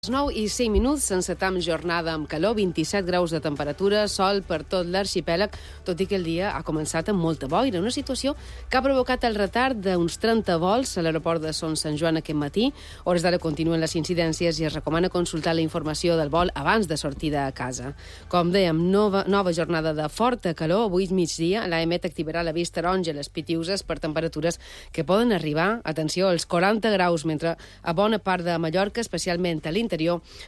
9:05, encetam jornada amb calor, 27 graus de temperatura, sol per tot l'arxipèlag, tot i que el dia ha començat amb molta boira, una situació que ha provocat el retard d'uns 30 vols a l'aeroport de Son Sant Joan aquest matí. Hores d'ara continuen les incidències i es recomana consultar la informació del vol abans de sortir de casa. Com dèiem, nova jornada de forta calor. Avui migdia l'AEMET activarà l'avís taronja a les Pitiuses per temperatures que poden arribar, atenció, als 40 graus, mentre a bona part de Mallorca, especialment a l'interior,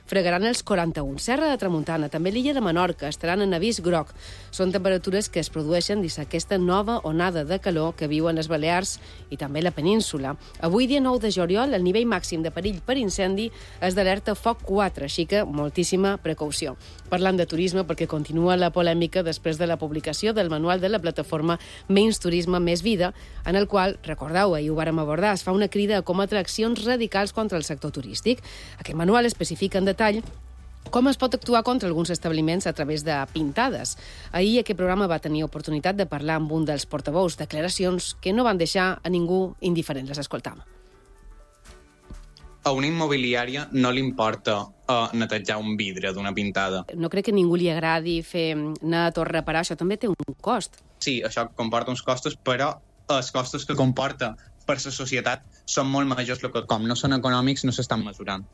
fregaran els 41. Serra de Tramuntana, també l'illa de Menorca, estaran en avís groc. Són temperatures que es produeixen dins aquesta nova onada de calor que viuen les Balears i també la península. Avui, dia 9 de juliol, el nivell màxim de perill per incendi és d'alerta foc 4, així que moltíssima precaució. Parlant de turisme, perquè continua la polèmica després de la publicació del manual de la plataforma Menys Turisme, Més Vida, en el qual, recordeu, ahir ho vàrem abordar, es fa una crida a combatre accions radicals contra el sector turístic. Aquest manual especifica en detall com es pot actuar contra alguns establiments a través de pintades. Ahir aquest programa va tenir oportunitat de parlar amb un dels portaveus, declaracions que no van deixar a ningú indiferent. Les escoltam. A una immobiliària no li importa netejar un vidre d'una pintada. No crec que a ningú li agradi fer net o reparar, això també té un cost. Sí, això comporta uns costos, però els costos que comporta per la societat són molt majors, que com no són econòmics no s'estan mesurant.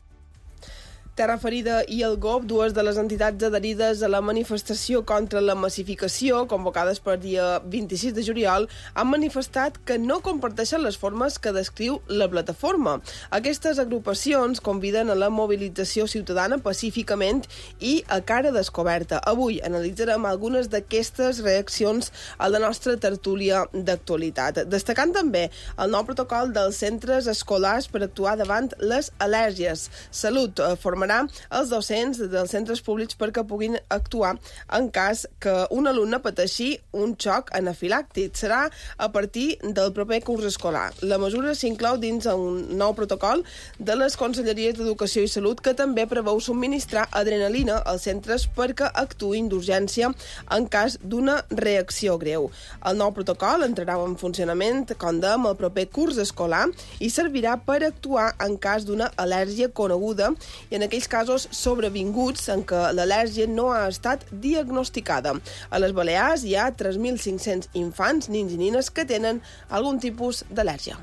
Terra Ferida i el GOP, dues de les entitats adherides a la manifestació contra la massificació, convocades per dia 26 de juliol, han manifestat que no comparteixen les formes que descriu la plataforma. Aquestes agrupacions conviden a la mobilització ciutadana pacíficament i a cara descoberta. Avui analitzarem algunes d'aquestes reaccions a la nostra tertúlia d'actualitat, destacant també el nou protocol dels centres escolars per actuar davant les al·lèrgies. Salut formarà els docents dels centres públics perquè puguin actuar en cas que un alumne pateixi un xoc anafilàctic. Serà a partir del proper curs escolar. La mesura s'inclou dins un nou protocol de les Conselleries d'Educació i Salut que també preveu subministrar adrenalina als centres perquè actuïn d'urgència en cas d'una reacció greu. El nou protocol entrarà en funcionament, com dèiem, el proper curs escolar i servirà per actuar en cas d'una al·lèrgia coneguda i en aquells casos sobrevinguts en què l'al·lèrgia no ha estat diagnosticada. A les Balears hi ha 3.500 infants, nins i nines, que tenen algun tipus d'al·lèrgia.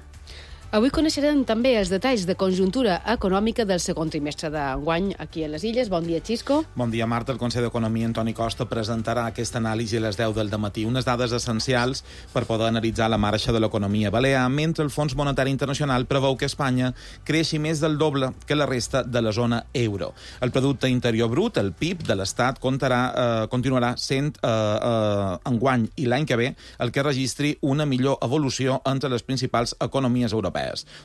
Avui coneixerem també els detalls de conjuntura econòmica del segon trimestre d'enguany aquí a les Illes. Bon dia, Xisco. Bon dia, Marta. El conseller d'Economia, Antoni Costa, presentarà aquesta anàlisi a les 10 del dematí. Unes dades essencials per poder analitzar la marxa de l'economia balear, mentre el Fons Monetari Internacional preveu que Espanya creixi més del doble que la resta de la zona euro. El Producte Interior Brut, el PIB de l'Estat, continuarà sent enguany i l'any que ve el que registri una millor evolució entre les principals economies europees.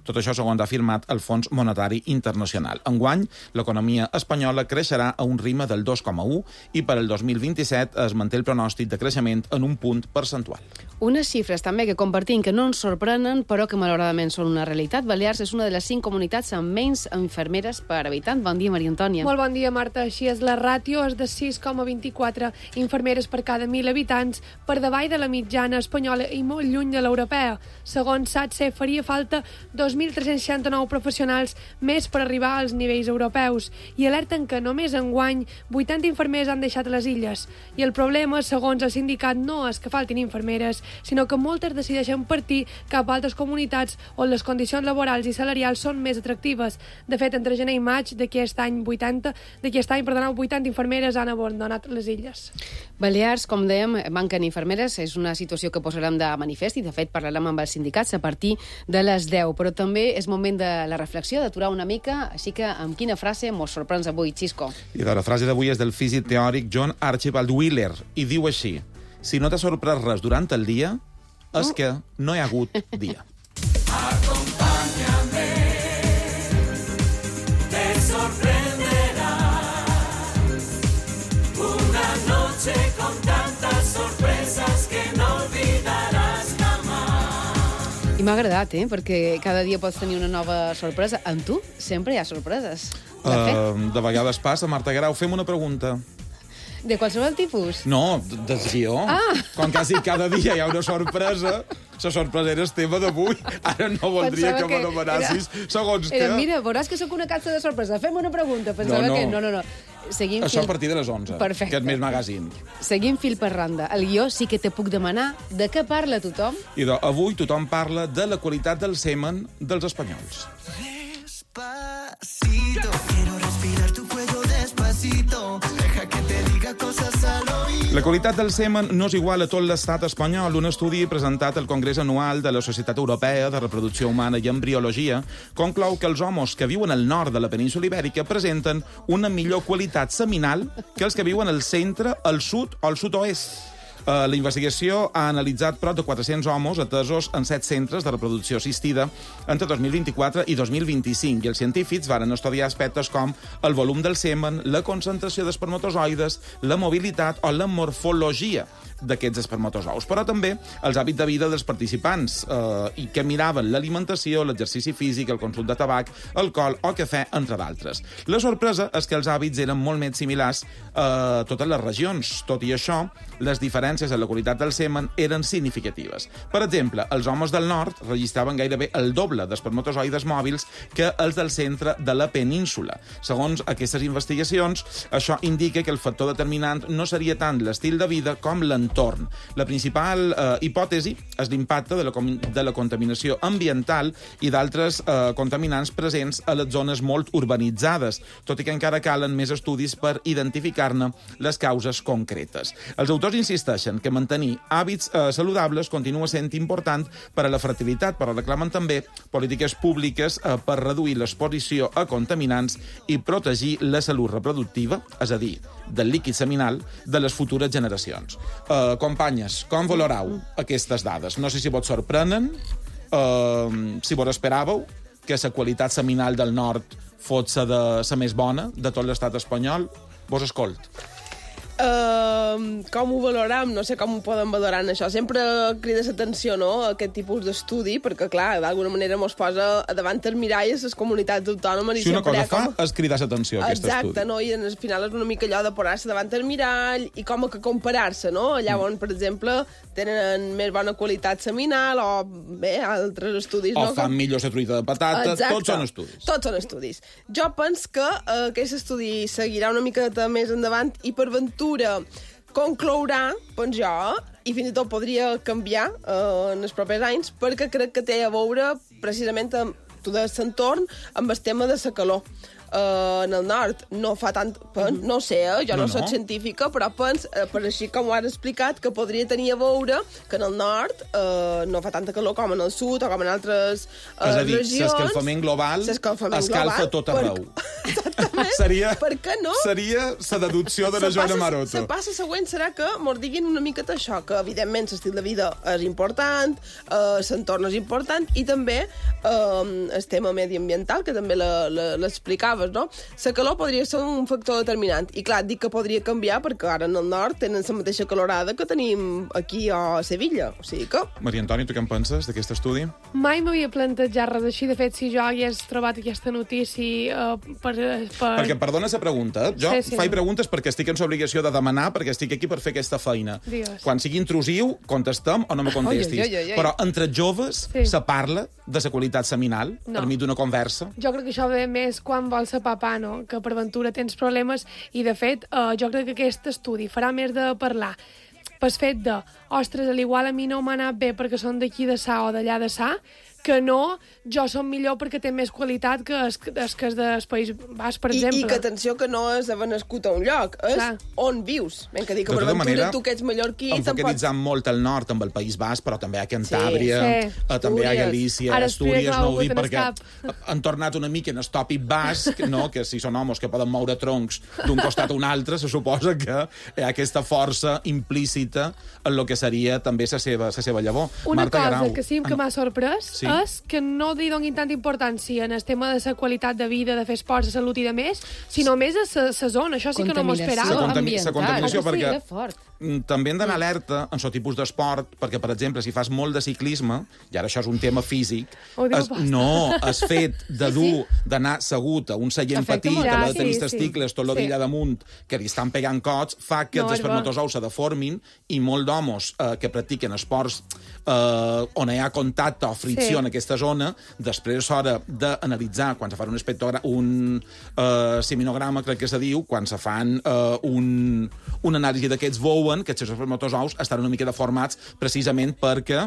Tot això segons ha afirmat el Fons Monetari Internacional. Enguany, l'economia espanyola creixerà a un ritme del 2,1 i per al 2027 es manté el pronòstic de creixement en un punt percentual. Unes xifres també que compartim que no ens sorprenen, però que malauradament són una realitat. Balears és una de les 5 comunitats amb menys infermeres per habitant. Bon dia, Maria Antònia. Molt bon dia, Marta. Així és, la ràtio és de 6,24 infermeres per cada 1.000 habitants, per davall de la mitjana espanyola i molt lluny de l'europea. Segons SATSE, faria falta 2.369 professionals més per arribar als nivells europeus i alerten que només enguany 80 infermers han deixat les illes. I el problema, segons el sindicat, no és que faltin infermeres, sinó que moltes decideixen partir cap a altres comunitats on les condicions laborals i salarials són més atractives. De fet, entre gener i maig d'aquest any, 80 infermeres han abandonat les illes. Balears, com dèiem, manquen infermeres. És una situació que posarem de manifest i, de fet, parlarem amb els sindicats a partir de les 10. Però també és moment de la reflexió, d'aturar una mica. Així que, amb quina frase mos sorprens avui, Xisco? I la frase d'avui és del físic teòric John Archibald Wheeler i diu així: si no t'ha sorprès res durant el dia, és que no hi ha hagut dia. Acompáñame, te sorprenderá una noche con tantas sorpresas que no olvidarás jamás. I m'ha agradat, perquè cada dia pots tenir una nova sorpresa. Amb tu sempre hi ha sorpreses. De vegades passa, Marta Guerau. Fem una pregunta. De qualsevol tipus? No, del guió. Com quasi cada dia hi ha una sorpresa, la sorpresa era el tema d'avui. Ara no voldria que me demanassis segons què. Mira, veuràs que sóc una caixa de sorpresa. Fem una pregunta. Pensava que... No. Seguim Això a partir de les 11, Perfecte. que és més magazine. Seguim fil per randa. El guió sí que te puc demanar de què parla tothom. Avui tothom parla de la qualitat del semen dels espanyols. Despacito, quiero respirar tu cuello despacito. Deja que te diga cosas al oído. La qualitat del semen no és igual a tot l'estat espanyol. Un estudi presentat al Congrés Anual de la Societat Europea de Reproducció Humana i Embriologia conclou que els homes que viuen al nord de la península Ibèrica presenten una millor qualitat seminal que els que viuen al centre, al sud o al sud-oest. La investigació ha analitzat prop de 400 homes atesos en 7 centres de reproducció assistida entre 2024 i 2025 i els científics varen estudiar aspectes com el volum del semen, la concentració d'espermatozoides, la mobilitat o la morfologia d'aquests espermatozous, però també els hàbits de vida dels participants i que miraven l'alimentació, l'exercici físic, el consum de tabac, alcohol o cafè, entre d'altres. La sorpresa és que els hàbits eren molt més similars a totes les regions. Tot i això, les diferències en la qualitat del semen eren significatives. Per exemple, els homes del nord registraven gairebé el doble d'espermatozoides mòbils que els del centre de la península. Segons aquestes investigacions, això indica que el factor determinant no seria tant l'estil de vida com l'entorn. La principal hipòtesi és l'impacte de la contaminació ambiental i d'altres contaminants presents a les zones molt urbanitzades, tot i que encara calen més estudis per identificar-ne les causes concretes. Els autors insisteixen que mantenir hàbits saludables continua sent important per a la fertilitat, però reclamen també polítiques públiques per reduir l'exposició a contaminants i protegir la salut reproductiva, és a dir, del líquid seminal de les futures generacions. Companyes, com valorau aquestes dades? No sé si vos sorprenen, si vos esperàveu que la qualitat seminal del nord fos la més bona de tot l'estat espanyol. Vos escolt. Com ho valoram? No sé com ho poden valorar en això. Sempre crida l'atenció, no?, aquest tipus d'estudi, perquè, clar, d'alguna manera mos posa davant el mirall a les comunitats autònomes. Si una cosa fa és cridar l'atenció a aquest estudi. Exacte, no? I al final és una mica allò de posar-se davant el mirall i com que comparar-se, no? Allà on, per exemple, tenen més bona qualitat seminal o, bé, altres estudis, o no? fan millor la truita de patata. Exacte. Tots són estudis. Tots són estudis. Jo penso que aquest estudi seguirà una miqueta més endavant i per ventura conclourà, penso jo, i fins i tot podria canviar en els propers anys, perquè crec que té a veure precisament amb tot l'entorn, amb el tema de la calor. En el nord no fa tant... No sé, jo no soc científica, però pens, per així com ho has explicat, que podria tenir a veure que en el nord no fa tanta calor com en el sud o com en altres regions. És a dir, l'escalfament global escalfa tot arreu. Exactament. Per què no? Seria la deducció de la Joana Maroto. La passa següent serà que mos diguin una miqueta això, que evidentment l'estil de vida és important, l'entorn és important, i també el tema mediambiental, que també l'explicaves, no? La calor podria ser un factor determinant. I clar, dic que podria canviar perquè ara en el nord tenen la mateixa calorada que tenim aquí a Sevilla. O sigui que... Maria Antònia, tu què en penses d'aquest estudi? Mai m'havia plantejat res així. De fet, si jo hagués trobat aquesta notícia Perquè, perdona la pregunta, jo faig preguntes perquè estic en l'obligació de demanar, perquè estic aquí per fer aquesta feina. Dios. Quan sigui intrusiu, contestem o no me contestis. Però entre joves se parla de la qualitat seminal per mi d'una conversa? Jo crec que això ve més quan vols ser papà, no? Que per ventura tens problemes i, de fet, jo crec que aquest estudi farà més de parlar pel fet de, ostres, a l'igual a mi no m'ha anat bé perquè són d'aquí de Sa o d'allà de Sa, que no, jo som millor perquè té més qualitat que és del País Basc, per exemple. I que atenció que no és haver nascut a un lloc, és on vius. Ben que dic que per ventura tu que ets mallorquí... Enfocalitzant molt el nord amb el País Basc, però també a Cantàbria, també a Galícia, Astúries, no ho dic perquè han tornat una mica en el tòpic basc, no? Que si són homes que poden moure troncs d'un costat a un altre, se suposa que hi ha aquesta força implícita en el que seria també la seva llavor. Una cosa que sí que m'ha sorprès és que no li donin tanta importància en el tema de la qualitat de vida, de fer esports, de salut i de més, sinó més a la zona. Això sí que no m'ho esperava. La contaminació, perquè també hem d'anar alerta en el tipus d'esport, perquè, per exemple, si fas molt de ciclisme, i ara això és un tema físic, el fet de dur, d'anar assegut a un seient petit, que l'ha de tenir testicles, tot l'odilla damunt, que li estan pegant cots, fa que els espermatozous se deformin, i molt d'homes que practiquen esports on hi ha contacte o fricció en aquesta zona, després és hora d'analitzar, quan se fan un seminograma, crec que se diu, quan se fan una anàlisi d'aquests, veuen que els seus espermatozous estan una mica deformats precisament perquè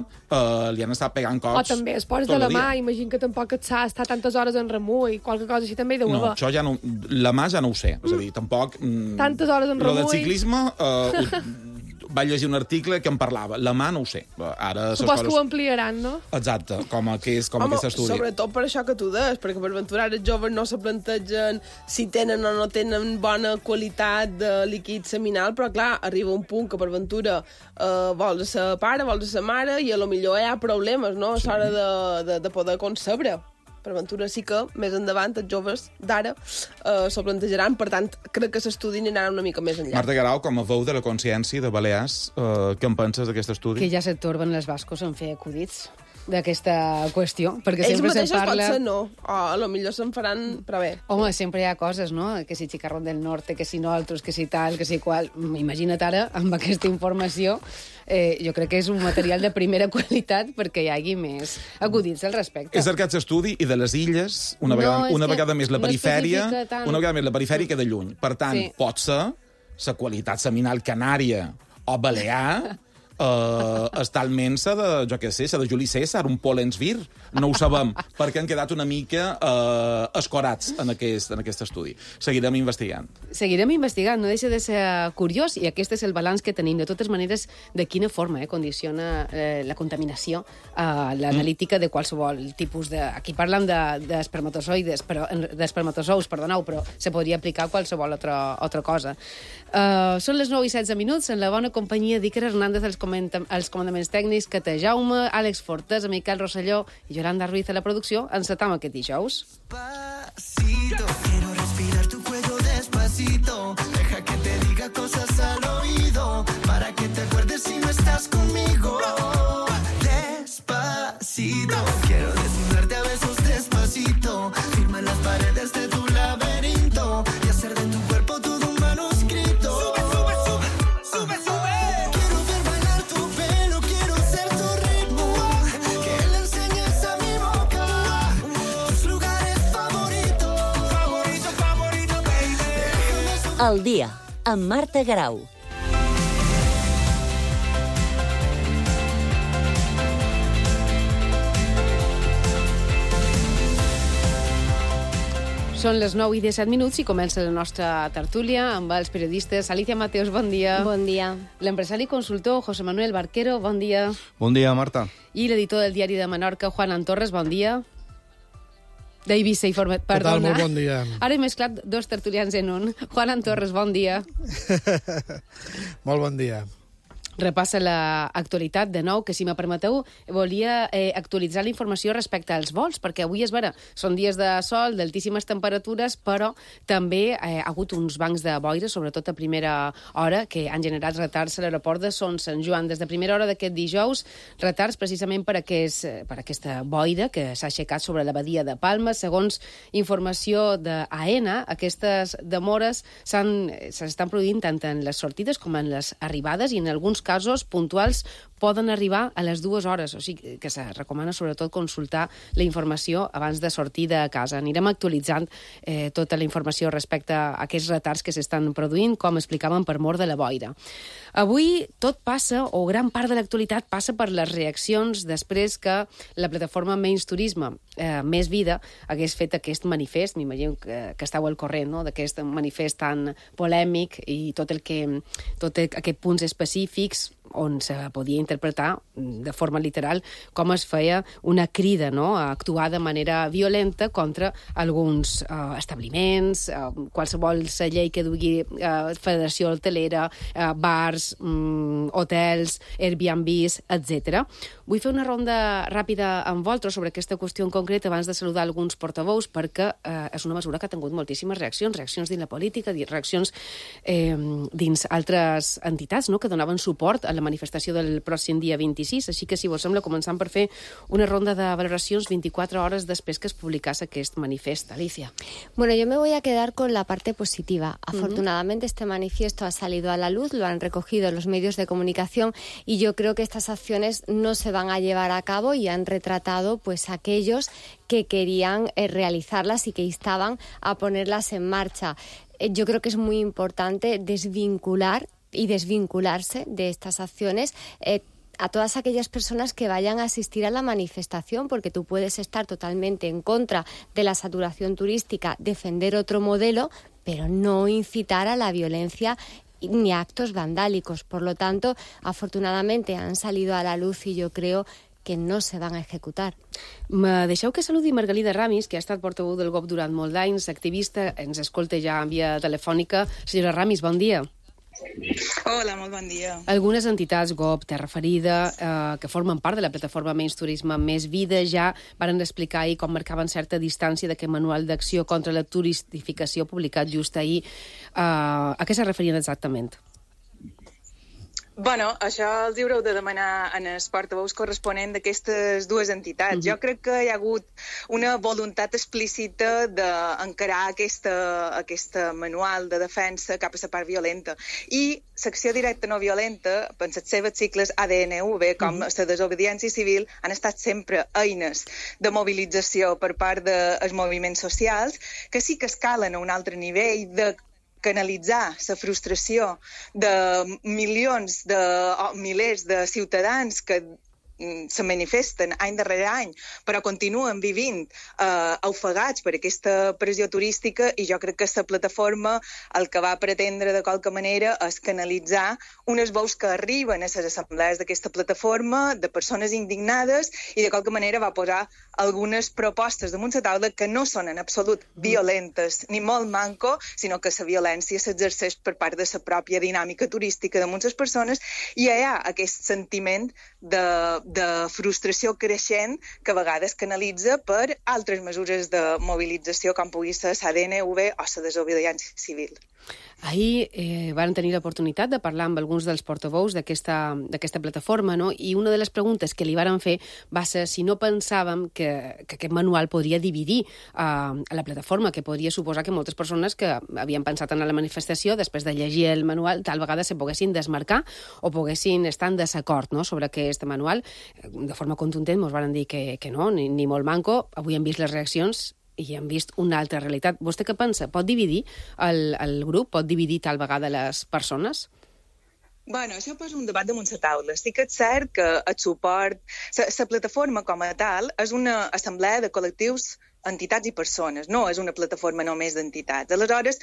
li han estat pegant cops. O també esports de la mà, imagino que tampoc et s'ha estat tantes hores en remú i qualque cosa així també hi deu haver. No, això ja no, la mà ja no ho sé, és a dir, tampoc... Tantes hores en remú. Lo del ciclisme... vaig llegir un article que en parlava. La mà no ho sé. Ara supos que ho ampliaran, no? Exacte, com aquest estudi. Sobretot per això que tu deies, perquè per ventura els joves no se plantegen si tenen o no tenen bona qualitat de líquid seminal, però clar, arriba un punt que per ventura vols ser pare, vols ser mare, i a lo millor hi ha problemes, no? És hora de poder concebre. Per ventura sí que, més endavant, els joves d'ara s'ho plantejaran. Per tant, crec que l'estudi anirà una mica més enllà. Marta Guerau, com a veu de la consciència de Balears, què en penses d'aquest estudi? Que ja se torben els bascos en fer acudits d'aquesta qüestió, perquè ells sempre se'n parla... potser no, o a lo millor se'n faran per bé. Home, sempre hi ha coses, no? Que si Chicarrón del Norte, que si nosaltres, que si tal, que si qual... Imagina't ara, amb aquesta informació, jo crec que és un material de primera qualitat perquè hi hagi més acudits al respecte. És aquest estudi, i de les illes, una vegada més la perifèria, que de lluny. Per tant, pot ser la qualitat seminal canària o balear està almenys de Juli César, un Pollens Vir. No ho sabem, perquè han quedat una mica escorats en aquest estudi. Seguirem investigant. Seguirem investigant, no deixa de ser curiós, i aquest és el balanç que tenim. De totes maneres, de quina forma condiciona la contaminació l'analítica de qualsevol tipus de... Aquí parlem d'espermatozous, però se podria aplicar a qualsevol altra cosa. Són les 9:16, en la bona companyia d'Iker Hernández, els comandaments tècnics, Cata Jaume, Àlex Fortes, Miquel Rosselló i Yolanda Ruiz a la producció. Encetam aquest dijous. Despacito, quiero respirar tu cuello despacito. Deja que te diga cosas al oído, para que te acuerdes si no estás conmigo. Despacito, quiero desnudarte a besos despacito. Firma las paredes de tu laberinto y hacer de tu cuerpo todo un manuscrito. Sube, sube. Quiero ver bailar tu pelo, quiero ser tu ritmo, que le enseñes a mi boca tus lugares favoritos. Favorito, baby. Al dia, amb Marta Guerau. Són les 9:17 i comença la nostra tertúlia amb els periodistes. Alicia Mateos, bon dia. Bon dia. L'empresari i consultor José Manuel Barquero, bon dia. Bon dia, Marta. I l'editor del Diari de Menorca, Juan Torres, bon dia. D'Eivissa i Format, perdona. Què tal? Molt bon dia. Ara he mesclat dos tertulians en un. Juan Torres, bon dia. Molt bon dia. Repassa l'actualitat de nou, que si me permeteu volia actualitzar la informació respecte als vols, perquè avui és vera, són dies de sol, d'altíssimes temperatures, però també hi ha hagut uns bancs de boira, sobretot a primera hora, que han generat retards a l'aeroport de Son Sant Joan. Des de primera hora d'aquest dijous, retards precisament per aquesta boira que s'ha aixecat sobre la badia de Palma. Segons informació d'AENA, aquestes demores s'estan produint tant en les sortides com en les arribades, i en alguns casos puntuals poden arribar a les 2 hores, o sigui que se recomana sobretot consultar la informació abans de sortir de casa. Anirem actualitzant tota la informació respecte a aquests retards que s'estan produint, com explicàvem, per mor de la boira. Avui tot passa, o gran part de l'actualitat passa per les reaccions després que la plataforma Menys Turisme, Més Vida, hagués fet aquest manifest. M'imagino que estàu al corrent, no?, d'aquest manifest tan polèmic i tot aquests punts específics on se podia interpretar de forma literal com es feia una crida, no?, a actuar de manera violenta contra alguns establiments, qualsevol llei que dugui federació hotelera, bars, hotels, Airbnbs, etc. Vull fer una ronda ràpida amb vosaltres sobre aquesta qüestió en concret abans de saludar alguns portaveus, perquè és una mesura que ha tingut moltíssimes reaccions dins la política, reaccions dins altres entitats, no?, que donaven suport a la manifestació del pròxim dia 26. Així que, si vos sembla, començant per fer una ronda de valoracions 24 hores després que es publicás aquest manifest. Alicia. Bueno, yo me voy a quedar con la parte positiva. Afortunadamente este manifiesto ha salido a la luz, lo han recogido los medios de comunicación y yo creo que estas acciones no se van a llevar a cabo y han retratado pues aquellos que querían realizarlas y que instaban a ponerlas en marcha. Yo creo que es muy importante desvincular y desvincularse de estas acciones a todas aquellas personas que vayan a asistir a la manifestación, porque tú puedes estar totalmente en contra de la saturación turística, defender otro modelo, pero no incitar a la violencia ni a actos vandálicos. Por lo tanto, afortunadamente han salido a la luz y yo creo que no se van a ejecutar. Me deixeu que saludi Margalida Ramis, que ha estat portaveu del GOB durant molt d'anys, activista, ens escolta ja en via telefònica. Senyora Ramis, bon dia. Hola, molt bon dia. Algunes entitats, GOB, Terra Ferida, que formen part de la plataforma Menys Turisme, Més Vida, ja varen explicar ahir com marcaven certa distància d'aquest manual d'acció contra la turistificació publicat just ahir. A què se referien exactament? Bueno, això els haureu de demanar en els portaveus corresponents d'aquestes dues entitats. Jo crec que hi ha hagut una voluntat explícita d'encarar aquesta manual de defensa cap a la part violenta. I l'acció directa no violenta, per les seves sigles ADNV, com la desobediència civil, han estat sempre eines de mobilització per part dels moviments socials, que sí que escalen a un altre nivell de canalitzar la frustració de milers de ciutadans que se manifesten any darrere any, però continuen vivint ofegats per aquesta pressió turística, i jo crec que la plataforma el que va pretendre de qualque manera és canalitzar unes veus que arriben a les assemblees d'aquesta plataforma, de persones indignades, i de qualque manera va posar algunes propostes damunt la taula que no són en absolut violentes ni molt manco, sinó que la violència s'exerceix per part de la pròpia dinàmica turística de moltes persones, i hi ha aquest sentiment de frustració creixent que a vegades canalitza per altres mesures de mobilització com pugui ser l'ADNV o la desobediència civil. Ahir van tenir l'oportunitat de parlar amb alguns dels portaveus d'aquesta plataforma, no? I una de les preguntes que li varen fer va ser si no pensàvem que aquest manual podria dividir a la plataforma, que podria suposar que moltes persones que havien pensat en la manifestació, després de llegir el manual, tal vegada se poguessin desmarcar o poguessin estar en desacord, no?, sobre aquest manual. De forma contundent ens van dir que no, ni molt manco. Avui hem vist les reaccions i hem vist una altra realitat. Vostè què pensa? Pot dividir el grup? Pot dividir tal vegada les persones? Bueno, això posa un debat damunt la taula. Sí que és cert que el suport... La plataforma com a tal és una assemblea de col·lectius, entitats i persones, no és una plataforma només d'entitats. Aleshores,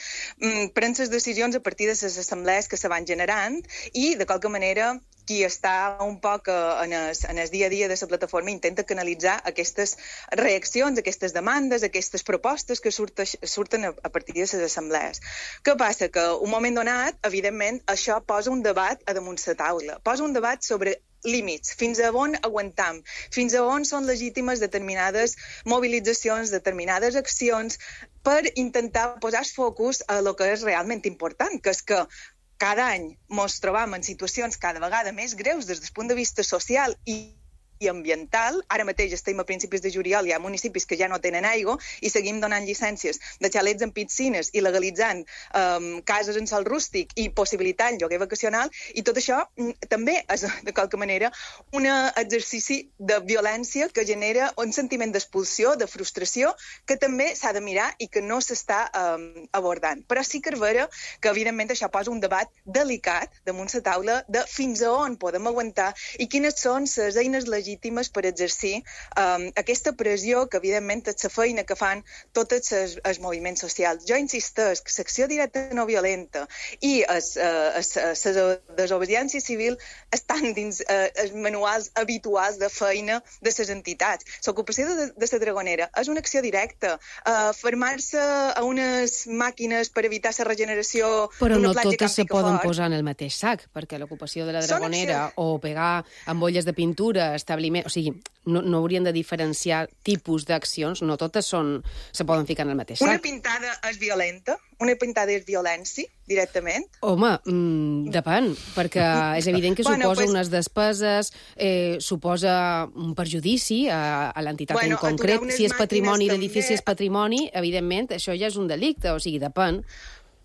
pren les decisions a partir de les assemblees que se van generant i, de qualque manera, qui està un poc en el dia a dia de la plataforma intenta canalitzar aquestes reaccions, aquestes demandes, aquestes propostes que surten a partir de les assemblees. Què passa? Que un moment donat, evidentment, això posa un debat a damunt la taula. Posa un debat sobre límits, fins a on aguantam, fins a on són legítimes determinades mobilitzacions, determinades accions, per intentar posar focus a lo que és realment important, que és que cada any ens trobam en situacions cada vegada més greus des del punt de vista social i ambiental. Ara mateix estem a principis de juliol, hi ha municipis que ja no tenen aigua i seguim donant llicències de xalets amb piscines i legalitzant cases en sòl rústic i possibilitant lloguer vacacional, i tot això també és, de qualque manera, un exercici de violència que genera un sentiment d'expulsió, de frustració, que també s'ha de mirar i que no s'està abordant. Però sí que és vera que, evidentment, això posa un debat delicat damunt la taula de fins a on podem aguantar i quines són les eines legítimes legítimes per exercir aquesta pressió que, evidentment, és la feina que fan tots els moviments socials. Jo insisteix que l'acció directa no violenta i la desobediència civil estan dins els manuals habituals de feina de les entitats. L'ocupació de la Dragonera és una acció directa. Fermar-se a unes màquines per evitar la regeneració però d'una no platja totes se Camp poden Picafort. posar en el mateix sac, perquè l'ocupació de la Dragonera o pegar ampolles de pintura, establiment... O sigui, no haurien de diferenciar tipus d'accions, no totes se poden ficar en el mateix sac. Una pintada és violenta? Una pintada és violència, directament? Home, depèn, perquè és evident que suposa unes despeses, suposa un perjudici a l'entitat en concret. Si és patrimoni, l'edifici és patrimoni, evidentment, això ja és un delicte, o sigui, depèn.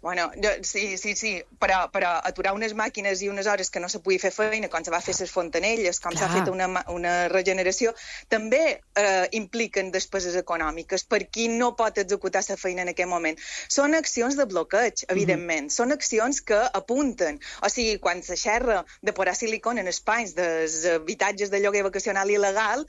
Bueno, sí, però aturar unes màquines i unes hores que no se pugui fer feina, com se va fer les fontanelles, com s'ha fet una regeneració, també impliquen despeses econòmiques per qui no pot executar la feina en aquest moment. Són accions de bloqueig, evidentment. Són accions que apunten. O sigui, quan se xerra de posar silicona en espais dels habitatges de lloguer vacacional il·legal,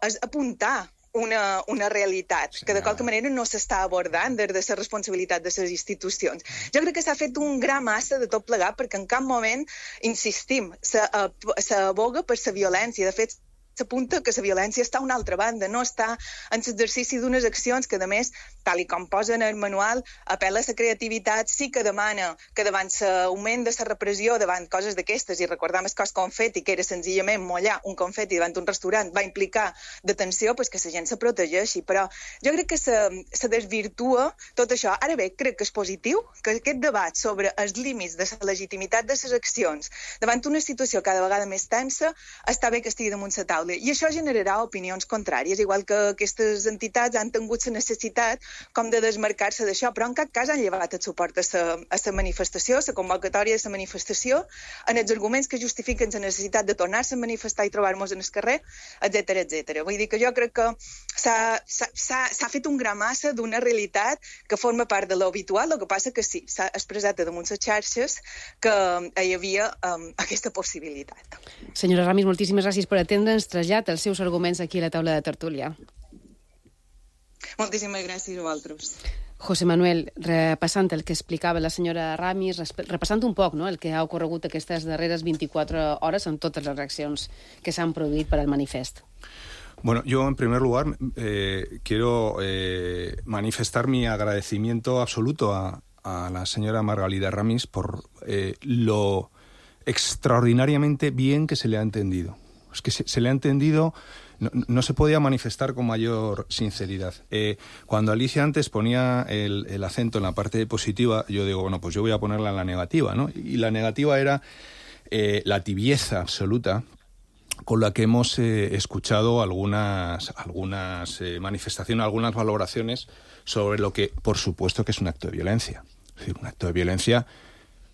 és apuntar una realitat que de qualque manera no s'està abordant des de la responsabilitat de les institucions. Jo crec que s'ha fet un gra massa de tot plegat perquè en cap moment, insistim, s'aboga per la violència. De fet, s'apunta que la violència està a una altra banda, no està en l'exercici d'unes accions que, a més, tal com posa en el manual, apel·la a la creativitat, sí que demana que davant l'augment de la repressió, davant coses d'aquestes, i recordam el cos confeti, que era senzillament mollar un confeti davant un restaurant, va implicar detenció, pues que la gent se protegeixi. Però jo crec que se desvirtua tot això. Ara bé, crec que és positiu que aquest debat sobre els límits de la legitimitat de les accions davant una situació cada vegada més tensa, està bé que estigui damunt la taula. I això generarà opinions contràries, igual que aquestes entitats han tingut la necessitat com de desmarcar-se d'això, però en cap cas han llevat el suport a la manifestació, a la convocatòria de la manifestació, en els arguments que justifiquen la necessitat de tornar-se a manifestar i trobar-nos en el carrer, etc. Vull dir que jo crec que s'ha fet un gra massa d'una realitat que forma part de l'habitual, el que passa que sí, s'ha expressat damunt les xarxes que hi havia aquesta possibilitat. Senyora Ramis, moltíssimes gràcies per atendre'ns. Trasllat els seus arguments aquí a la taula de tertúlia. Moltíssimes gràcies a vosaltres. José Manuel, repassant el que explicava la senyora Ramis, repassant un poc el que ha ocorregut aquestes darreres 24 hores amb totes les reaccions que s'han produït per al manifest. Bueno, yo en primer lugar quiero manifestar mi agradecimiento absoluto a la señora Margalida Ramis por lo extraordinariamente bien que se le ha entendido. Es que se le ha entendido, no se podía manifestar con mayor sinceridad. Cuando Alicia antes ponía el acento en la parte positiva, yo digo, bueno, pues yo voy a ponerla en la negativa, ¿no? Y la negativa era la tibieza absoluta con la que hemos escuchado algunas manifestaciones, algunas valoraciones sobre lo que, por supuesto, que es un acto de violencia. Es decir, un acto de violencia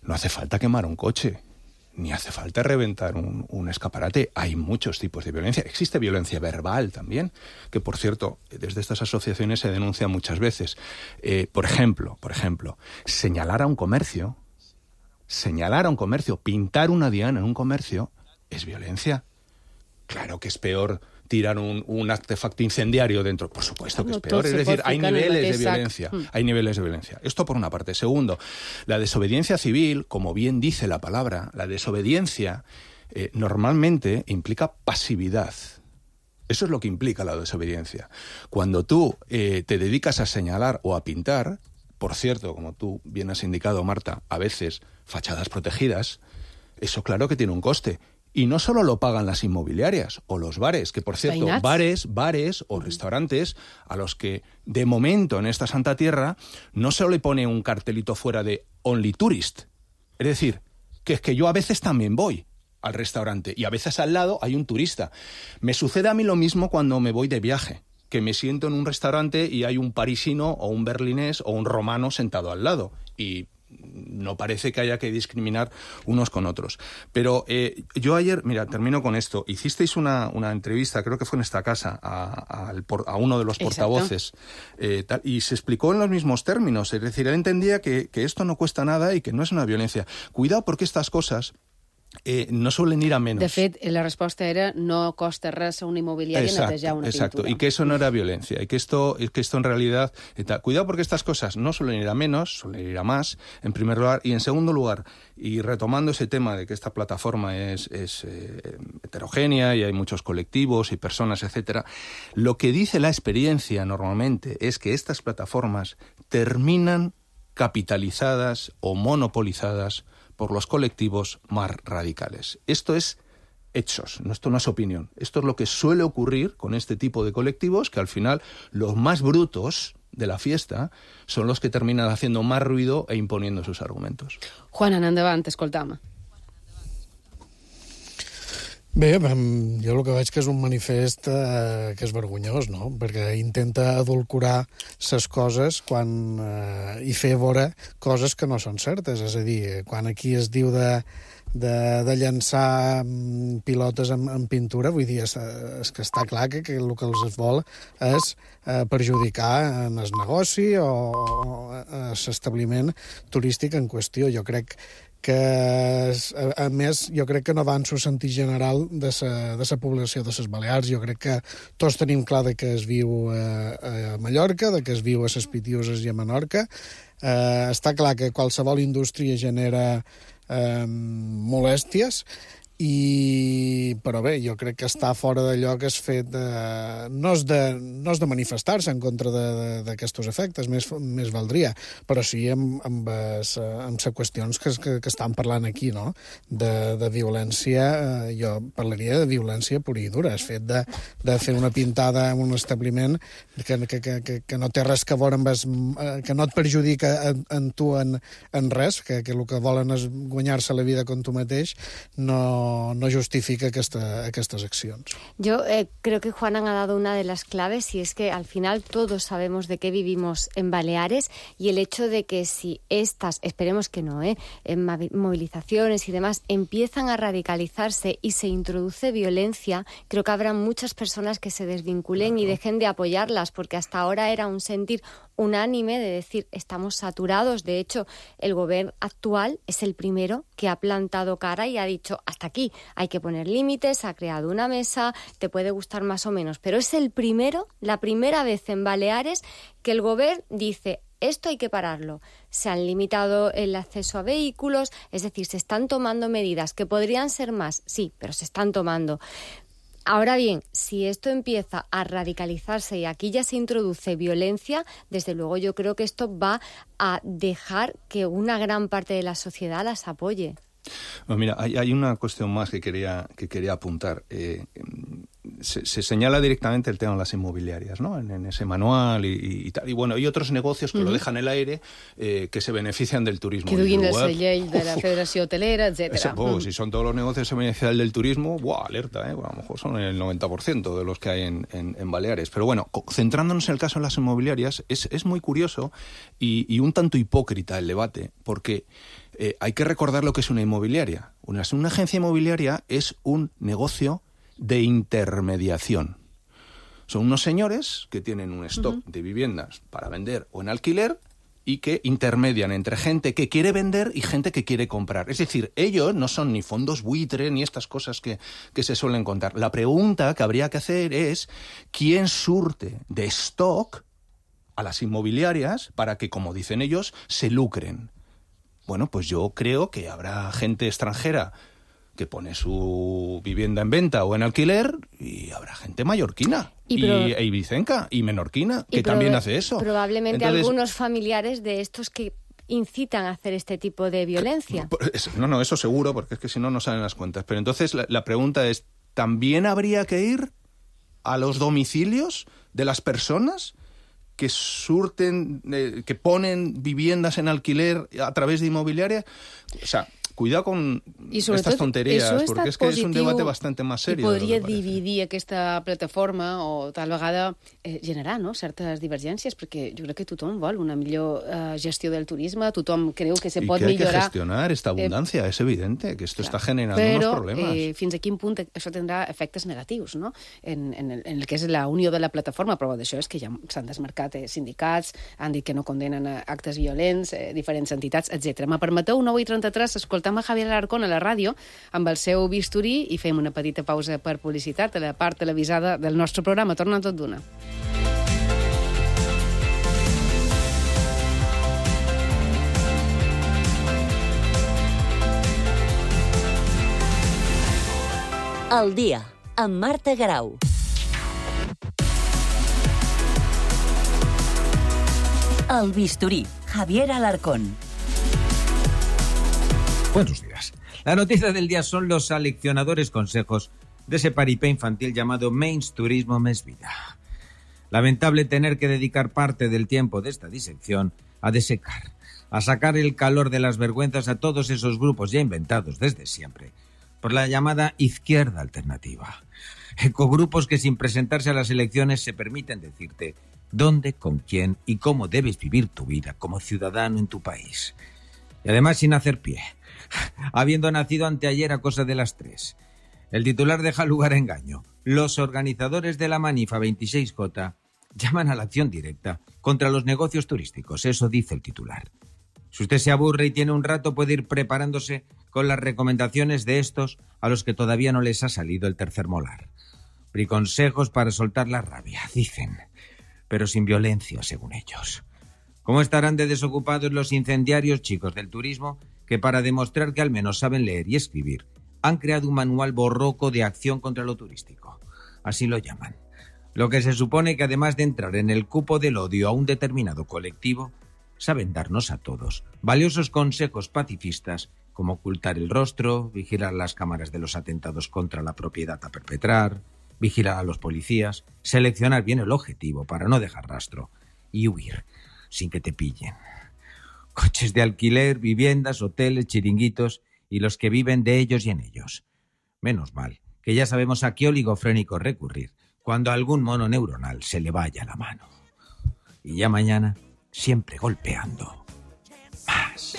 no hace falta quemar un coche, ni hace falta reventar un escaparate. Hay muchos tipos de violencia. Existe violencia verbal también, que, por cierto, desde estas asociaciones se denuncia muchas veces. Por ejemplo, señalar a un comercio, pintar una diana en un comercio, es violencia. Claro que es peor tirar un artefacto incendiario dentro. Por supuesto que es peor. Es decir, hay niveles de violencia. Hay niveles de violencia. Esto por una parte. Segundo, la desobediencia civil, como bien dice la palabra, la desobediencia normalmente implica pasividad. Eso es lo que implica la desobediencia. Cuando tú te dedicas a señalar o a pintar, por cierto, como tú bien has indicado, Marta, a veces fachadas protegidas, eso claro que tiene un coste. Y no solo lo pagan las inmobiliarias o los bares, que por cierto, bares o restaurantes a los que de momento en esta Santa Tierra no se le pone un cartelito fuera de Only Tourist. Es decir, que es que yo a veces también voy al restaurante y a veces al lado hay un turista. Me sucede a mí lo mismo cuando me voy de viaje, que me siento en un restaurante y hay un parisino o un berlinés o un romano sentado al lado y no parece que haya que discriminar unos con otros. Pero yo ayer, mira, termino con esto. Hicisteis una entrevista, creo que fue en esta casa, a uno de los portavoces, y se explicó en los mismos términos. Es decir, él entendía que esto no cuesta nada y que no es una violencia. Cuidado, porque estas cosas no suelen ir a menos. De fet, la resposta era no costa res a una inmobiliaria netejar una pintura. Y que eso no era violencia, y que esto en realidad... Cuidado porque estas cosas no suelen ir a menos, suelen ir a más, en primer lugar, y en segundo lugar, y retomando ese tema de que esta plataforma es heterogénea y hay muchos colectivos y personas, etcétera, lo que dice la experiencia normalmente es que estas plataformas terminan capitalizadas o monopolizadas por los colectivos más radicales. Esto es hechos, esto no es opinión. Esto es lo que suele ocurrir con este tipo de colectivos, que al final los más brutos de la fiesta son los que terminan haciendo más ruido e imponiendo sus argumentos. Juan, endavant, escoltam. Bé, jo el que veig que és un manifest que és vergonyós, no? Perquè intenta adulcorar ses coses i fer veure coses que no són certes. És a dir, quan aquí es diu de llançar pilotes amb pintura, vull dir, és que està clar que el que els vol és perjudicar en el negoci o l'establiment turístic en qüestió. Jo crec que, a més, jo crec que no va en el sentit general de la població de les Balears. Jo crec que tots tenim clar de que es viu a Mallorca, de que es viu a les Pitiüses i a Menorca. Està clar que qualsevol indústria genera molèsties, però bé, jo crec que està fora d'allò que és fet no és de manifestar-se en contra d'aquests efectes, més valdria, però sí amb les qüestions que estan parlant aquí, no? De violència. Jo parlaria de violència pura i dura. És fet de fer una pintada en un establiment que no té res que veure amb que no et perjudica en tu en res, que el que volen és guanyar-se la vida com tu mateix, no justifica estas acciones. Yo creo que Juan ha dado una de las claves, y es que al final todos sabemos de qué vivimos en Baleares, y el hecho de que si estas, esperemos que no, en movilizaciones y demás, empiezan a radicalizarse y se introduce violencia, creo que habrá muchas personas que se desvinculen y dejen de apoyarlas, porque hasta ahora era un sentir unánime de decir estamos saturados. De hecho, el gobierno actual es el primero que ha plantado cara y ha dicho hasta aquí, hay que poner límites, ha creado una mesa, te puede gustar más o menos, pero es la primera vez en Baleares que el gobierno dice esto hay que pararlo. Se han limitado el acceso a vehículos, es decir, se están tomando medidas que podrían ser más, sí, pero se están tomando. Ahora bien, si esto empieza a radicalizarse y aquí ya se introduce violencia, desde luego yo creo que esto va a dejar que una gran parte de la sociedad las apoye. Bueno, mira, hay una cuestión más que quería apuntar. Se señala directamente el tema de las inmobiliarias, ¿no? En ese manual y tal. Y bueno, hay otros negocios que lo dejan en el aire, que se benefician del turismo. Que duguin la llei de la Federació Hotelera, etcétera. Si son todos los negocios que se benefician del turismo, alerta, a lo mejor son el 90% de los que hay en Baleares. Pero bueno, centrándonos en el caso de las inmobiliarias, es muy curioso y un tanto hipócrita el debate, porque hay que recordar lo que es una inmobiliaria. Una agencia inmobiliaria es un negocio de intermediación. Son unos señores que tienen un stock de viviendas para vender o en alquiler y que intermedian entre gente que quiere vender y gente que quiere comprar. Es decir, ellos no son ni fondos buitre ni estas cosas que se suelen contar. La pregunta que habría que hacer es ¿quién surte de stock a las inmobiliarias para que, como dicen ellos, se lucren? Bueno, pues yo creo que habrá gente extranjera que pone su vivienda en venta o en alquiler, y habrá gente mallorquina e ibicenca y menorquina que también hace eso. Probablemente algunos familiares de estos que incitan a hacer este tipo de violencia. No, eso seguro, porque es que si no, no salen las cuentas. Pero entonces la pregunta es, ¿también habría que ir a los domicilios de las personas que surten, que ponen viviendas en alquiler a través de inmobiliaria? O sea, cuidado con estas tonterías, perquè és que és un debat bastant més seriós. I podria dividir aquesta plataforma o tal vegada generar certes divergències, perquè jo crec que tothom vol una millor gestió del turisme, tothom creu que se pot millorar. Y que hay que gestionar esta abundancia, es evidente que esto está generando unos problemas. Però fins a quin punt això tindrà efectes negatius, no? En el que és la unió de la plataforma, però d'això és que ja s'han desmarcat sindicats, han dit que no condenen actes violents, diferents entitats, etc. Me permeteu, 9:33, escoltar portem a Javier Alarcón a la ràdio amb el seu bisturí i fem una petita pausa per publicitat a la part televisada del nostre programa. Torna tot d'una. Al dia, amb Marta Grau. El bisturí, Javier Alarcón. Buenos días. La noticia del día son los aleccionadores consejos de ese paripé infantil llamado Menys Turismo Més Vida. Lamentable tener que dedicar parte del tiempo de esta disección a desecar, a sacar el calor de las vergüenzas a todos esos grupos ya inventados desde siempre por la llamada izquierda alternativa. Ecogrupos que sin presentarse a las elecciones se permiten decirte dónde, con quién y cómo debes vivir tu vida como ciudadano en tu país. Y además sin hacer pie, habiendo nacido anteayer a cosa de las 3. El titular deja lugar a engaño. Los organizadores de la Manifa 26J llaman a la acción directa contra los negocios turísticos, eso dice el titular. Si usted se aburre y tiene un rato, puede ir preparándose con las recomendaciones de estos a los que todavía no les ha salido el tercer molar. Consejos para soltar la rabia, dicen, pero sin violencia, según ellos. ¿Cómo estarán de desocupados los incendiarios chicos del turismo que, para demostrar que al menos saben leer y escribir, han creado un manual borroco de acción contra lo turístico? Así lo llaman. Lo que se supone que, además de entrar en el cupo del odio a un determinado colectivo, saben darnos a todos valiosos consejos pacifistas como ocultar el rostro, vigilar las cámaras de los atentados contra la propiedad a perpetrar, vigilar a los policías, seleccionar bien el objetivo para no dejar rastro y huir sin que te pillen. Coches de alquiler, viviendas, hoteles, chiringuitos y los que viven de ellos y en ellos. Menos mal que ya sabemos a qué oligofrénico recurrir cuando a algún mono neuronal se le vaya la mano. Y ya mañana, siempre golpeando más.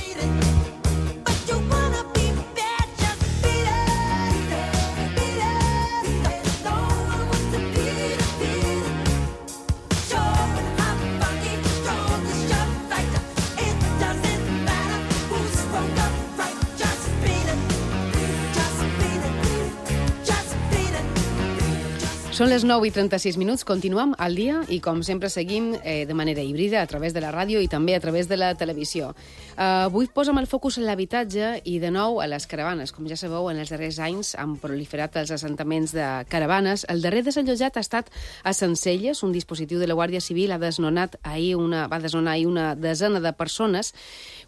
Són les 9:36, continuem al dia i, com sempre, seguim de manera híbrida a través de la ràdio i també a través de la televisió. Avui posem el focus en l'habitatge i, de nou, a les caravanes. Com ja sabeu, en els darrers anys han proliferat els assentaments de caravanes. El darrer desallotjat ha estat a Sencelles. Un dispositiu de la Guàrdia Civil va desnonar ahir una desena de persones.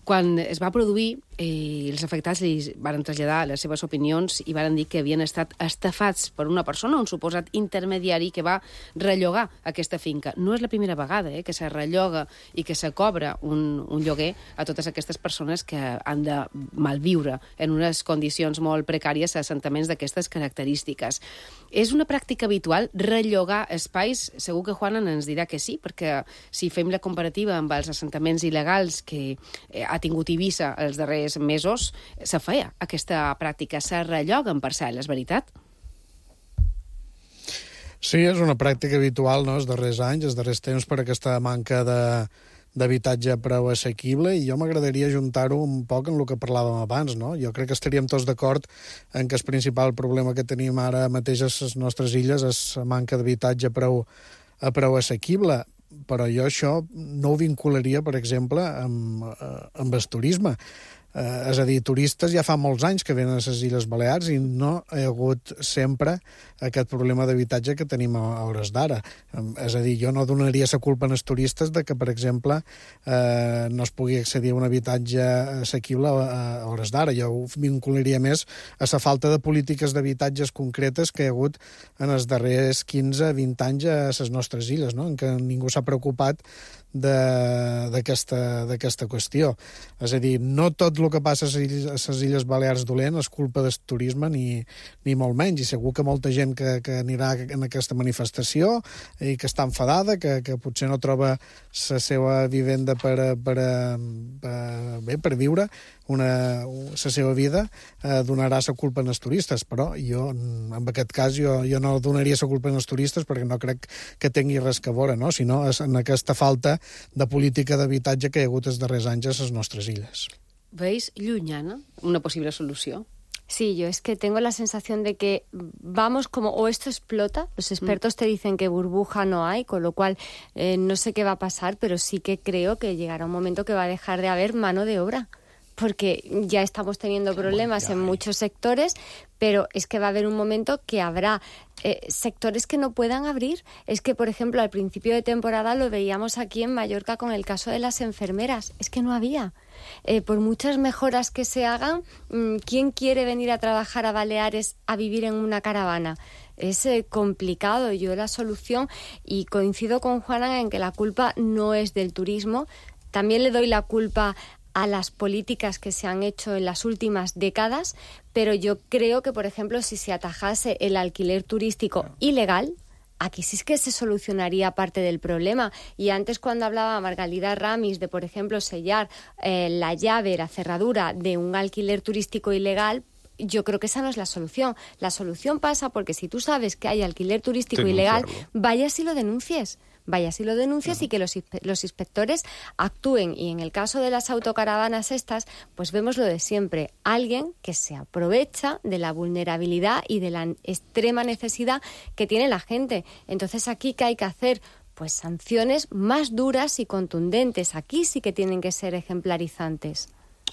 Quan es va produir, els afectats li van traslladar les seves opinions i van dir que havien estat estafats per una persona, un suposat intermediari que va rellogar aquesta finca. No és la primera vegada que se relloga i que se cobra un lloguer a totes aquestes persones que han de malviure en unes condicions molt precàries a assentaments d'aquestes característiques. És una pràctica habitual rellogar espais? Segur que Juana ens dirà que sí, perquè si fem la comparativa amb els assentaments il·legals que ha tingut Eivissa els darrers mesos, se feia aquesta pràctica, se relloguen parcel·les, veritat? Sí, és una pràctica habitual, no?, els darrers anys, els darrers temps, per aquesta manca d'habitatge prou assequible, i jo m'agradaria ajuntar-ho un poc en el que parlàvem abans, no? Jo crec que estaríem tots d'acord en que el principal problema que tenim ara mateix a les nostres illes és la manca d'habitatge prou assequible, però jo això no ho vincularia, per exemple, amb el turisme. És a dir, turistes ja fa molts anys que venen a les Illes Balears i no hi ha hagut sempre aquest problema d'habitatge que tenim a hores d'ara. És a dir, jo no donaria la culpa als turistes de que, per exemple, no es pugui accedir a un habitatge assequible a hores d'ara. Jo ho vincularia més a la falta de polítiques d'habitatges concretes que hi ha hagut en els darrers 15-20 anys a les nostres illes, no?, en què ningú s'ha preocupat d'aquesta qüestió. És a dir, no tot el que passa a les Illes Balears dolent és culpa del turisme, ni molt menys, i segur que molta gent que anirà en aquesta manifestació i que està enfadada, que potser no troba la seva vivenda per viure la seva vida, donarà la culpa als turistes, però jo, en aquest cas, jo no donaria la culpa als turistes perquè no crec que tingui res a veure, no?, sinó en aquesta falta de política d'habitatge que hi ha hagut els darrers anys a les nostres illes. veis llunyana una possible solució? Sí, yo es que tengo la sensación de que vamos como, o esto explota, los expertos te dicen que burbuja no hay, con lo cual no sé qué va a pasar, pero sí que creo que llegará un momento que va a dejar de haber mano de obra, porque ya estamos teniendo problemas en muchos sectores, pero es que va a haber un momento que habrá sectores que no puedan abrir. Es que, por ejemplo, al principio de temporada lo veíamos aquí en Mallorca con el caso de las enfermeras. Es que no había. Por muchas mejoras que se hagan, ¿quién quiere venir a trabajar a Baleares a vivir en una caravana? Es complicado. Yo la solución, y coincido con Juana en que la culpa no es del turismo, también le doy la culpa a las políticas que se han hecho en las últimas décadas, pero yo creo que, por ejemplo, si se atajase el alquiler turístico ilegal, aquí sí es que se solucionaría parte del problema. Y antes, cuando hablaba Margalida Ramis de, por ejemplo, sellar la llave, la cerradura de un alquiler turístico ilegal, yo creo que esa no es la solución. La solución pasa porque si tú sabes que hay alquiler turístico ilegal, vayas y lo denuncies. Y que los inspectores actúen. Y en el caso de las autocaravanas estas, pues vemos lo de siempre. Alguien que se aprovecha de la vulnerabilidad y de la extrema necesidad que tiene la gente. Entonces, ¿aquí qué hay que hacer? Pues sanciones más duras y contundentes. Aquí sí que tienen que ser ejemplarizantes.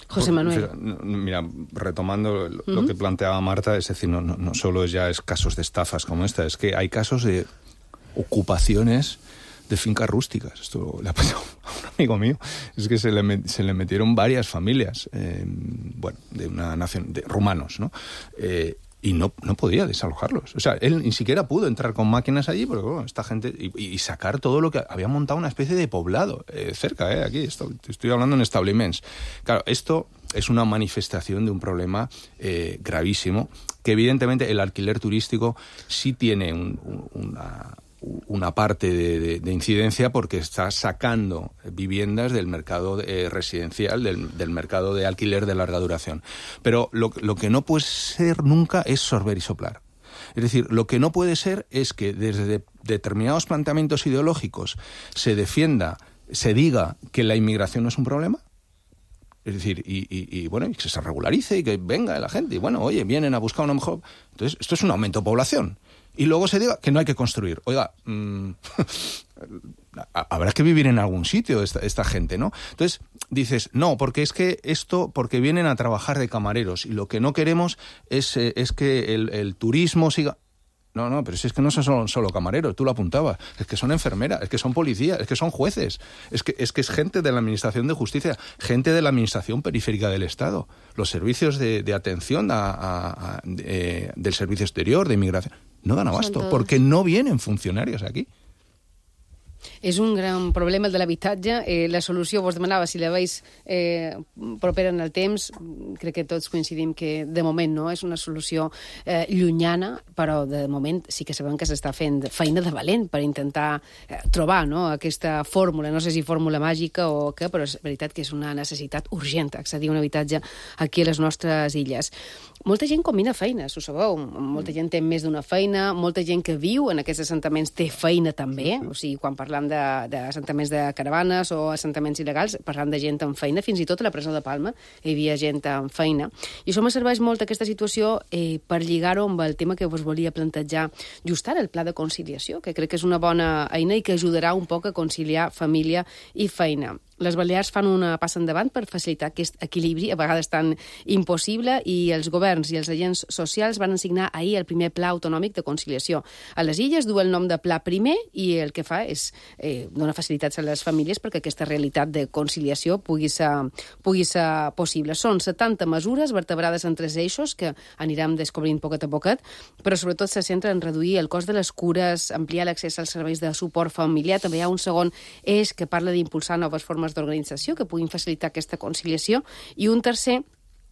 José Manuel. Mira, retomando lo que planteaba Marta, es decir, no solo es casos de estafas como esta, es que hay casos de ocupaciones de fincas rústicas. Esto le ha pasado a un amigo mío. Es que se le metieron varias familias, de una nación, de rumanos, ¿no? Y no podía desalojarlos. O sea, él ni siquiera pudo entrar con máquinas allí, porque bueno, esta gente... Y sacar todo lo que... Había montado una especie de poblado cerca, aquí. Estoy hablando en establiments. Claro, esto es una manifestación de un problema gravísimo, que evidentemente el alquiler turístico sí tiene una parte de incidencia, porque está sacando viviendas del mercado residencial, del mercado de alquiler de larga duración. Pero lo que no puede ser nunca es sorber y soplar. Es decir, lo que no puede ser es que desde determinados planteamientos ideológicos se diga que la inmigración no es un problema. Es decir, y que se regularice y que venga la gente. Y bueno, oye, vienen a buscar una mejor... Entonces, esto es un aumento de población. Y luego se diga que no hay que construir. Oiga, habrá que vivir en algún sitio esta gente, ¿no? Entonces dices, no, porque es que porque vienen a trabajar de camareros y lo que no queremos es que el turismo siga... No, pero si es que no son solo camareros, tú lo apuntabas, es que son enfermeras, es que son policías, es que son jueces, es que es gente de la Administración de Justicia, gente de la Administración Periférica del Estado, los servicios de atención del servicio exterior, de inmigración. No dan abasto, porque no vienen funcionarios aquí. És un gran problema el de l'habitatge. La solució, vos demanava si la veus propera en el temps. Crec que tots coincidim que de moment no és una solució llunyana, però de moment sí que sabem que s'està fent feina de valent per intentar trobar aquesta fórmula. No sé si fórmula màgica o què, però és veritat que és una necessitat urgent accedir a un habitatge aquí a les nostres illes. Molta gent combina feines, ho sabeu. Molta gent té més d'una feina, molta gent que viu en aquests assentaments té feina també. O sigui, quan parlam d'assentaments de caravanes o assentaments il·legals, parlant de gent amb feina, fins i tot a la presó de Palma hi havia gent amb feina. I això me serveix molt aquesta situació per lligar-ho amb el tema que vos volia plantejar just ara, el pla de conciliació, que crec que és una bona eina i que ajudarà un poc a conciliar família i feina. Les Balears fan una passa endavant per facilitar aquest equilibri, a vegades tan impossible, i els governs i els agents socials van signar ahir el primer Pla Autonòmic de Conciliació. A les illes du el nom de Pla Primer i el que fa és donar facilitats a les famílies perquè aquesta realitat de conciliació pugui ser possible. Són 70 mesures vertebrades en 3 eixos que anirem descobrint poquet a poquet, però sobretot se centra en reduir el cost de les cures, ampliar l'accés als serveis de suport familiar. També hi ha un segon eix que parla d'impulsar noves formes d'organització que puguin facilitar aquesta conciliació, i un tercer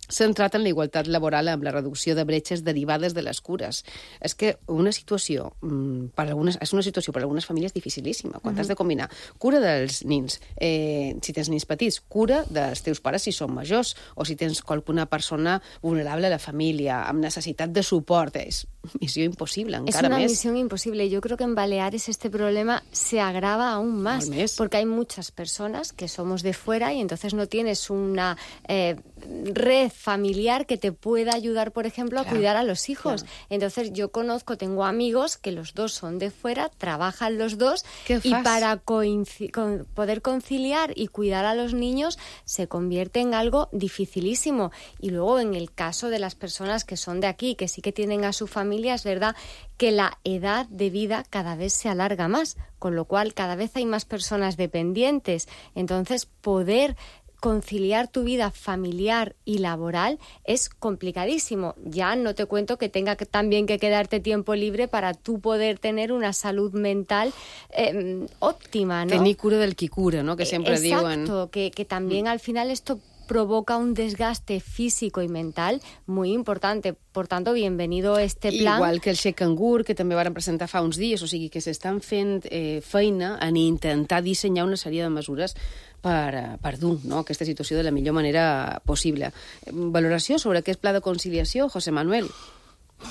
centrat en la igualtat laboral amb la reducció de bretxes derivades de les cures. És que una situació és una situació per a algunes famílies dificilíssima, quan has de combinar cura dels nins, si tens nins petits, cura dels teus pares si són majors, o si tens qualsevol persona vulnerable a la família, amb necessitat de suport. És misión imposible, Es encara una més. misión imposible. Yo creo que en Baleares este problema se agrava aún más, porque hay muchas personas que somos de fuera y entonces no tienes una red familiar que te pueda ayudar, por ejemplo, a cuidar a los hijos. Entonces yo tengo amigos que los dos son de fuera, trabajan los dos y para poder conciliar y cuidar a los niños se convierte en algo dificilísimo. Y luego en el caso de las personas que son de aquí, que sí que tienen a su familia, es verdad que la edad de vida cada vez se alarga más, con lo cual cada vez hay más personas dependientes. Entonces, poder conciliar tu vida familiar y laboral es complicadísimo. Ya no te cuento que tenga también que quedarte tiempo libre para tú poder tener una salud mental óptima, ¿no? Tenir cura del qui cura, ¿no? Que sempre diuen. Exacto, que también al final esto provoca un desgaste físico y mental muy importante. Por tanto, bienvenido este plan. Igual que el Xec Cangur, que també varen presentar fa uns dies, o sigui que s'estan fent feina en intentar dissenyar una sèrie de mesures per dur, no, aquesta situació de la millor manera possible. Valoració sobre aquest pla de conciliació, José Manuel?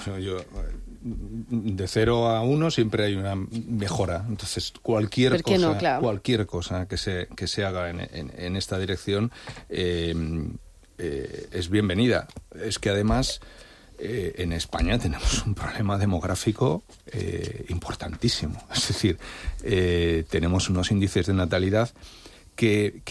Bueno, de 0 a 1 siempre hay una mejora. Entonces, cualquier cosa que se haga en esta dirección es bienvenida. Es que además en España tenemos un problema demográfico importantísimo. Es decir, tenemos unos índices de natalidad que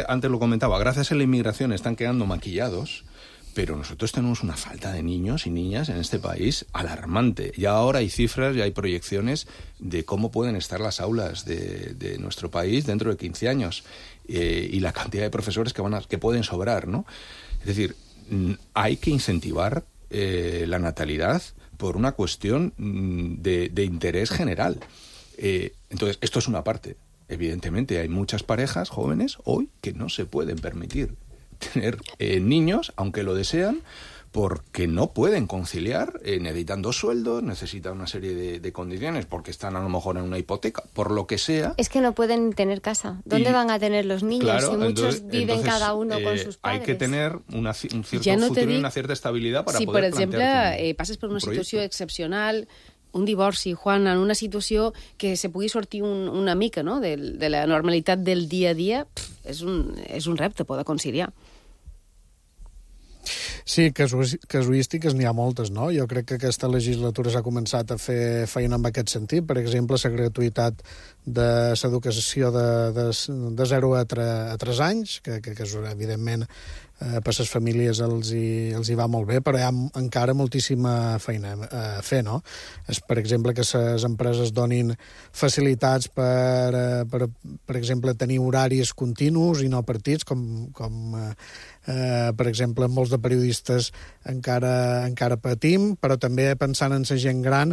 antes lo comentaba, gracias a la inmigración están quedando maquillados. Pero nosotros tenemos una falta de niños y niñas en este país alarmante. Ya ahora hay cifras, ya hay proyecciones de cómo pueden estar las aulas de nuestro país dentro de 15 años y la cantidad de profesores que pueden sobrar, ¿no? Es decir, hay que incentivar la natalidad por una cuestión de interés general. Entonces, esto es una parte. Evidentemente, hay muchas parejas jóvenes hoy que no se pueden permitir tener niños, aunque lo desean, porque no pueden conciliar, necesitan 2 sueldos, necesitan una serie de condiciones, porque están a lo mejor en una hipoteca, por lo que sea. Es que no pueden tener casa. ¿Dónde van a tener los niños? Claro, si muchos viven cada uno con sus padres. Hay que tener un cierto futuro y una cierta estabilidad para poder plantear. Si, per exemple, passes per una situació excepcional, un divorci, Juan, en una situació que se pugui sortir una mica, no?, de la normalitat del dia a dia, és un repte poder conciliar. Sí, casuístiques n'hi ha moltes, no? Jo crec que aquesta legislatura s'ha començat a fer feina en aquest sentit. Per exemple, la gratuïtat de l'educació de 0 a 3 anys, que evidentment per les famílies els hi va molt bé, però hi ha encara moltíssima feina a fer, no? Per exemple, que les empreses donin facilitats per exemple, tenir horaris continus i no partits, com per exemple, molts de periodistes encara patim, però també pensant en la gent gran,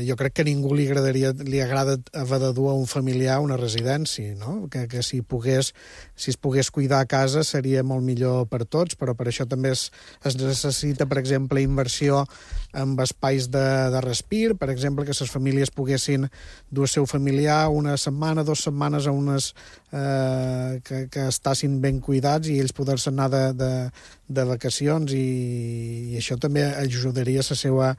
jo crec que a ningú li agrada haver de dur a un familiar a una residència, no? Que si es pogués cuidar a casa seria molt millor per tots, però per això també es necessita, per exemple, inversió en espais de respir, per exemple, que les famílies poguessin dur el seu familiar una setmana, 2 setmanes a unes que estassin ben cuidats i ells poder-se anar de vacacions, i això també ajudaria a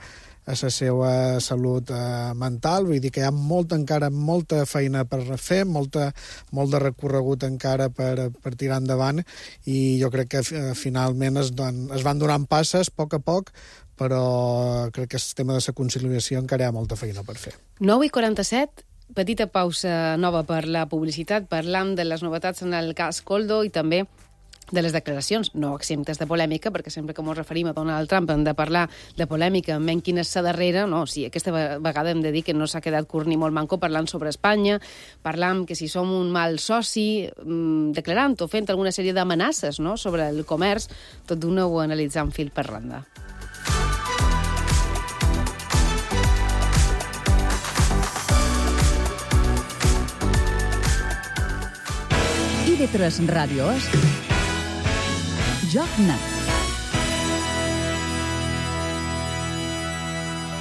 la seva salut mental. Vull dir que hi ha encara molta feina per fer, molt de recorregut encara per tirar endavant, i jo crec que finalment es van donant passes a poc, però crec que el tema de la conciliació encara hi ha molta feina per fer. 9:47, petita pausa nova per la publicitat. Parlam de les novetats en el cas Koldo i també de les declaracions, no exemptes de polèmica, perquè sempre que ens referim a Donald Trump hem de parlar de polèmica, menys quina és la darrera, no, sí, aquesta vegada hem de dir que no s'ha quedat curt ni molt manco parlant sobre Espanya, parlant que si som un mal soci, declarant o fent alguna sèrie d'amenaces, no?, sobre el comerç, tot d'una ho analitzant fil per randa. IB3 Ràdio és Joc Net.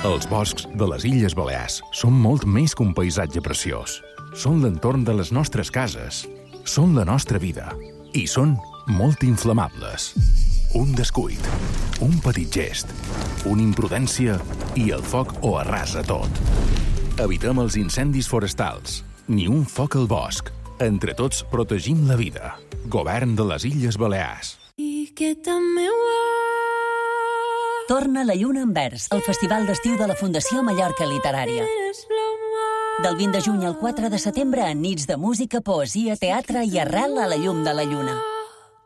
Els boscs de les Illes Balears són molt més que un paisatge preciós. Són l'entorn de les nostres cases, són la nostra vida i són molt inflamables. Un descuit, un petit gest, una imprudència i el foc ho arrasa tot. Evitem els incendis forestals. Ni un foc al bosc. Entre tots protegim la vida. Govern de les Illes Balears. Torna la Lluna en Vers, el festival d'estiu de la Fundació Mallorca Literària. Del 20 de juny al 4 de setembre, en nits de música, poesia, teatre i arrel a la llum de la lluna.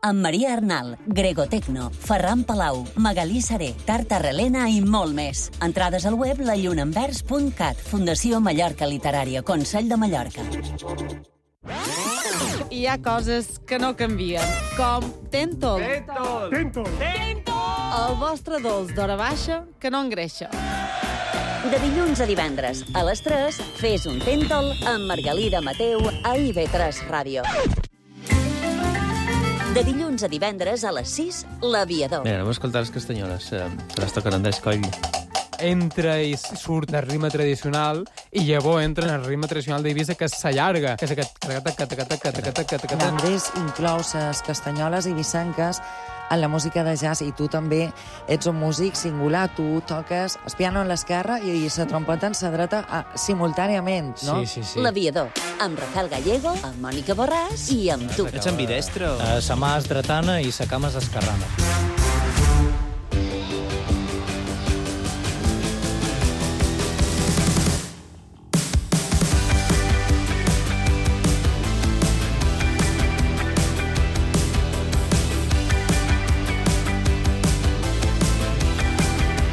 Amb Maria Arnal, Grego Tecno, Ferran Palau, Magalí Saré, Tarta Relena i molt més. Entrades al web lallunaenvers.cat. Fundació Mallorca Literària, Consell de Mallorca. Hi ha coses que no canvien, com Tentol. Tentol. El vostre dolç d'hora baixa que no engreixa. De dilluns a divendres, a les 3, fes un Tentol amb Margalida Mateu a IB3 Ràdio. De dilluns a divendres a les 6, L'Aviador. Mira, anem a escoltar les castanyoles, que les tocaran d'escoll. Entra i surt el ritme tradicional i llavors entra en el ritme tradicional d'Eivissa, que s'allarga, que és aquest... Andrés inclou les castanyoles eivissenques en la música de jazz, i tu també ets un músic singular. Tu toques el piano en l'esquerra i la trompeta en la dreta simultàniament, no? Sí. L'Aviador, amb Rafael Gallego, amb Mònica Borràs i amb tu. Ets ambidestre? Sa mà és dretana i sa cama és esquerrana.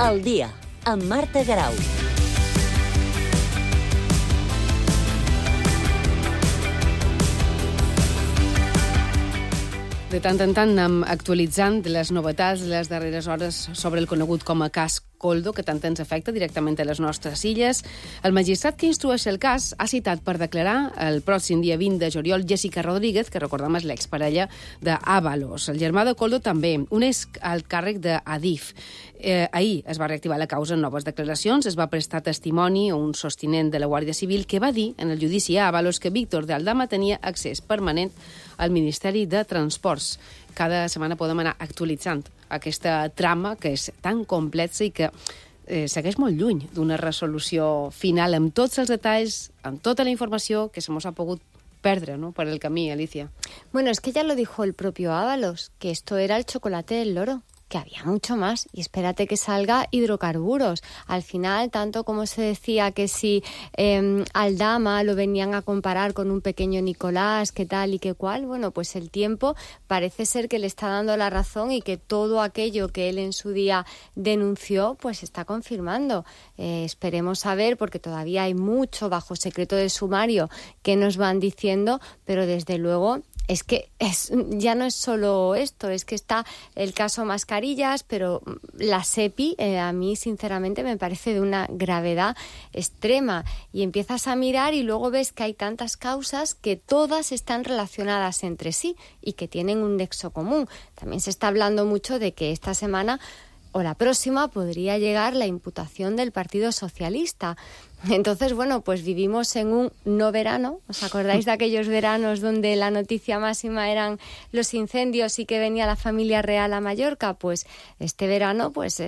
El dia, amb Marta Garau. De tant en tant anem actualitzant les novetats de les darreres hores sobre el conegut com a cas Coldo, que tant ens afecta directament a les nostres illes. El magistrat que instrueix el cas ha citat per declarar el pròxim dia 20 de juliol Jessica Rodríguez, que recordem és l'exparella d'Ábalos. El germà de Coldo també uneix al càrrec d'Adif. Ahir es va reactivar la causa en noves declaracions, es va prestar testimoni a un sostinent de la Guàrdia Civil que va dir en el judici a Ábalos que Víctor de Aldama tenia accés permanent al Ministeri de Transports. Cada setmana podem anar actualitzant aquesta trama que és tan complexa i que segueix molt lluny d'una resolució final amb tots els detalls, amb tota la informació que se mos ha pogut perdre, ¿no?, por el camí, Alicia. Bueno, es que ya lo dijo el propio Ábalos, que esto era el chocolate del loro, que había mucho más, y espérate que salga hidrocarburos. Al final, tanto como se decía que si Aldama lo venían a comparar con un pequeño Nicolás, qué tal y qué cual, bueno, pues el tiempo parece ser que le está dando la razón y que todo aquello que él en su día denunció, pues está confirmando. Esperemos saber, porque todavía hay mucho bajo secreto de sumario que nos van diciendo, pero desde luego es que ya no es solo esto, es que está el caso mascarillas, pero la SEPI a mí sinceramente me parece de una gravedad extrema, y empiezas a mirar y luego ves que hay tantas causas que todas están relacionadas entre sí y que tienen un nexo común. También se está hablando mucho de que esta semana o la próxima podría llegar la imputación del Partido Socialista. Entonces, bueno, pues vivimos en un no verano. ¿Os acordáis de aquellos veranos donde la noticia máxima eran los incendios y que venía la familia real a Mallorca? Pues este verano, pues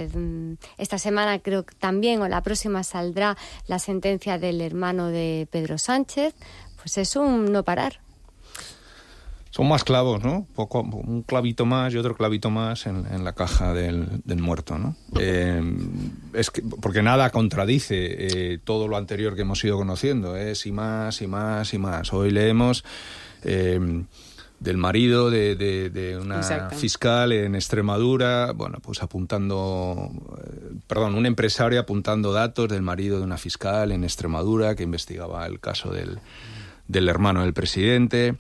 esta semana creo que también o la próxima saldrá la sentencia del hermano de Pedro Sánchez. Pues es un no parar. Son más clavos, ¿no? Un clavito más y otro clavito más en la caja del muerto, ¿no? Es que, porque nada contradice todo lo anterior que hemos ido conociendo, y más y más y más. Hoy leemos del marido de una Exacto. fiscal en Extremadura, bueno, pues un empresario apuntando datos del marido de una fiscal en Extremadura que investigaba el caso del hermano del presidente.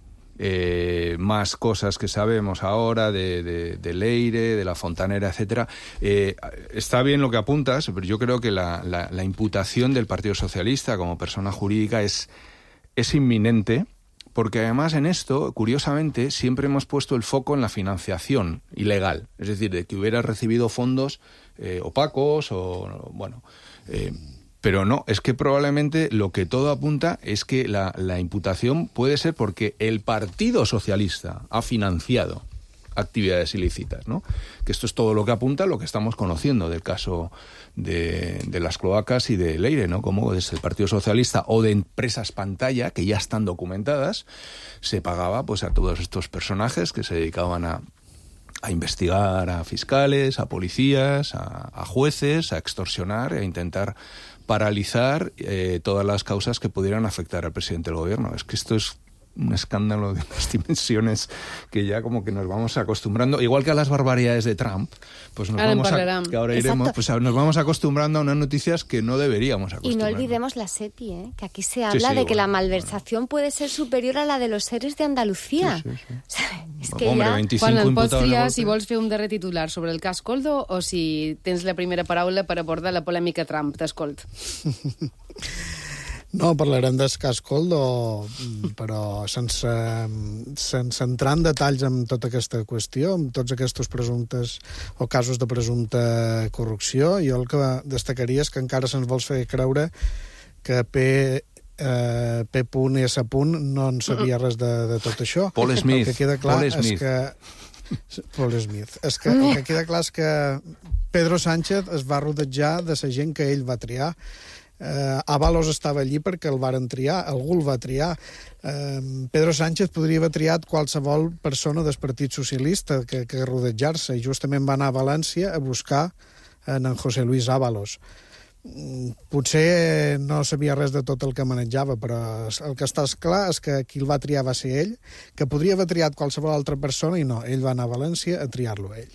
Más cosas que sabemos ahora de Leire, de la Fontanera, etcétera. Está bien lo que apuntas, pero yo creo que la imputación del Partido Socialista como persona jurídica es inminente, porque además en esto, curiosamente, siempre hemos puesto el foco en la financiación ilegal, es decir, de que hubiera recibido fondos opacos o bueno. Pero no, es que probablemente lo que todo apunta es que la imputación puede ser porque el Partido Socialista ha financiado actividades ilícitas, ¿no? Que esto es todo lo que apunta, lo que estamos conociendo del caso de las cloacas y de Leire, ¿no? Como desde el Partido Socialista o de empresas pantalla que ya están documentadas, se pagaba pues a todos estos personajes que se dedicaban a investigar a fiscales, a policías, a jueces, a extorsionar, a intentar paralizar todas las causas que pudieran afectar al presidente del gobierno. Es que esto es un escándalo de unas dimensiones que ya como que nos vamos acostumbrando, igual que a las barbaridades de Trump, pues nos nos vamos acostumbrando a unas noticias que no deberíamos acostumbrarnos. Y no olvidemos la SEPI, que aquí se habla de que la malversación puede ser superior a la de los seres de Andalucía. Sí. És que hombre, 25 Quan el pots triar si vols fer un darrer titular sobre el cas Coldo o si tens la primera paraula per abordar la polèmica Trump. T'escolt. No, parlarem del cas Coldo, però sense entrar en detalls en tota aquesta qüestió, amb tots aquests presumptes o casos de presumpta corrupció. Jo el que destacaria és que encara se'ns vols fer creure que P.S. no en sabia res de tot això. Paul Smith. El que queda clar és que el que queda clar és que Pedro Sánchez es va rodejar de la gent que ell va triar. Ábalos estava allí perquè el varen triar, algú el va triar. Pedro Sánchez podria haver triat qualsevol persona del Partit Socialista que rodejar-se, i justament va anar a València a buscar en José Luis Ábalos. Potser no sabia res de tot el que manejava, però el que està clar és que qui el va triar va ser ell, que podria haver triat qualsevol altra persona, i no, ell va anar a València a triar-lo ell.